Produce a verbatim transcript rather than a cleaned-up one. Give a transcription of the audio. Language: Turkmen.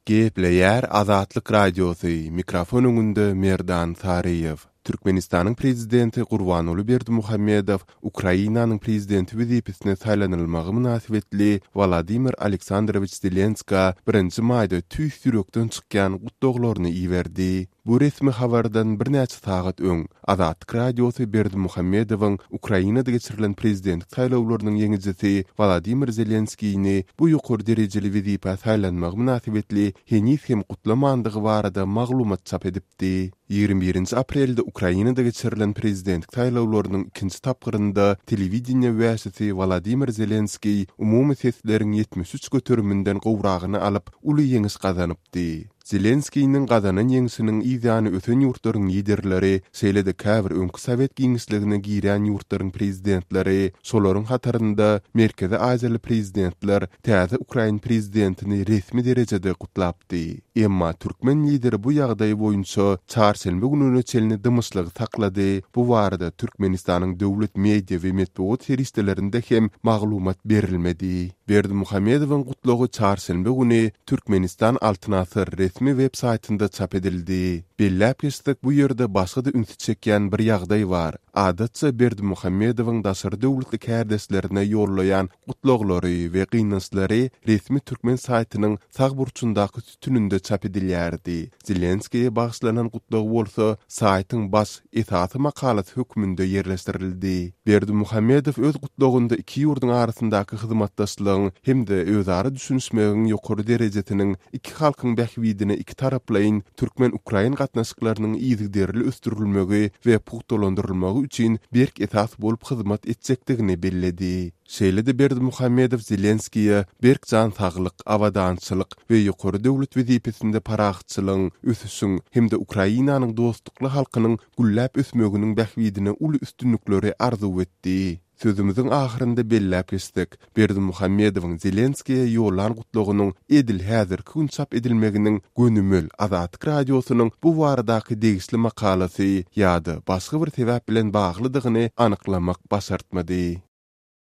Gepleýär Azatlyk Radiosy, mikrofon öňünde Merdan Saryýew. Türkmenistanyň Prezidenti Gurbanguly Berdimuhamedow Ukrainanyň Prezidenti wezipesine saýlanylmagy mynasybetli Wladimir Aleksandrowiç Zelenskä birinji maýda tüýs ýürekden çykýan gutlaglaryny iberdi. Bu resmi habardan birnäçe sagat öň Azatlyk Radiosy Berdimuhamedowyň Ukrainada geçirilen prezidentlik saýlawlarynyň ýeňijisi Wladimir Zelenskini bu ýokary derejeli wezipä saýlanmagy mynasybetli heniz hem gutlamandygy barada maglumat çap edipdi. Ýigrimi birinji aprelde Ukrainada geçirilen prezidentlik saýlawlarynyň ikinji tapgyrynda telewideniýe wäşisi Wladimir Zelenskiý umumy sesleriň ýetmiş üç göteriminden gowragyny alyp, uly ýeňiş gazanypdy. Zelenskiniň gazanan ýeňşiniň yz ýany ösen ýurtlaryň liderleri, şeýle-de käbir öňki sowet giňişligine girýän ýurtlaryň prezidentleri, şolaryň hatarynda Merkezi Aziýaly prezidentler täze ukrain prezidentini resmi derejede gutlapdy. Emma türkmen lideri bu ýagdaý boýunça çarşenbe gününe çenli dymyşlygy saklady. Bu barada Türkmenistanyň döwlet media we metbugat serişdelerinde hem maglumat berilmedi. Berdimuhamedowyň gutlagy çarşenbe güni Türkmenistan Altyn Asyr resmi web saýtynda çap edildi. Belläp geçsek, bu ýerde başga-da ünsi çekýän bir ýagdaý bar. Adatça Berdimuhamedowyň daşary döwletli kärdeşlerine ýollaýan gutlaglary we gynançlary resmi türkmen saýtynyň sag burçundaky sütüninde çap edilýärdi. Zelenskiýe bagyşlanan gutlag bolsa saýtyň baş esasy makalasy hökmünde ýerleşdirildi. Berdimuhamedow öz gutlagynda iki ýurduň arasyndaky hyzmatdaşlygyň hem-de özara düşünişmegiň ýokary derejesiniň iki halkyň bähbidine iki taraplaýyn türkmen-ukrain gatnaşyklarynyň yzygiderli ösdürilmegi we pugtalandyrylmagy üçin berk esas bolup hyzmat etjekdigini belledi. Şeýle-de Berdimuhamedow Zelenskiýe berk jan saglyk, abadançylyk we ýokary döwlet wezipesinde parahatçylygyň, ösüşiň hem-de Ukrainanyň dostlukly halkynyň gülläp ösmeginiň bähbidine uly üstünlikleri arzuw etdi. Sözümiziň ahyrynda belläp geçsek, Berdimuhamedowyň Zelenskiýe ýollan gutlagynyň edil häzirki gün çap edilmeginiň gönümel Azatlyk Radiosynyň bu baradaky degişli makalasy ýa-da başga bir sebäp bilen baglydygyny anyklamak başartmady.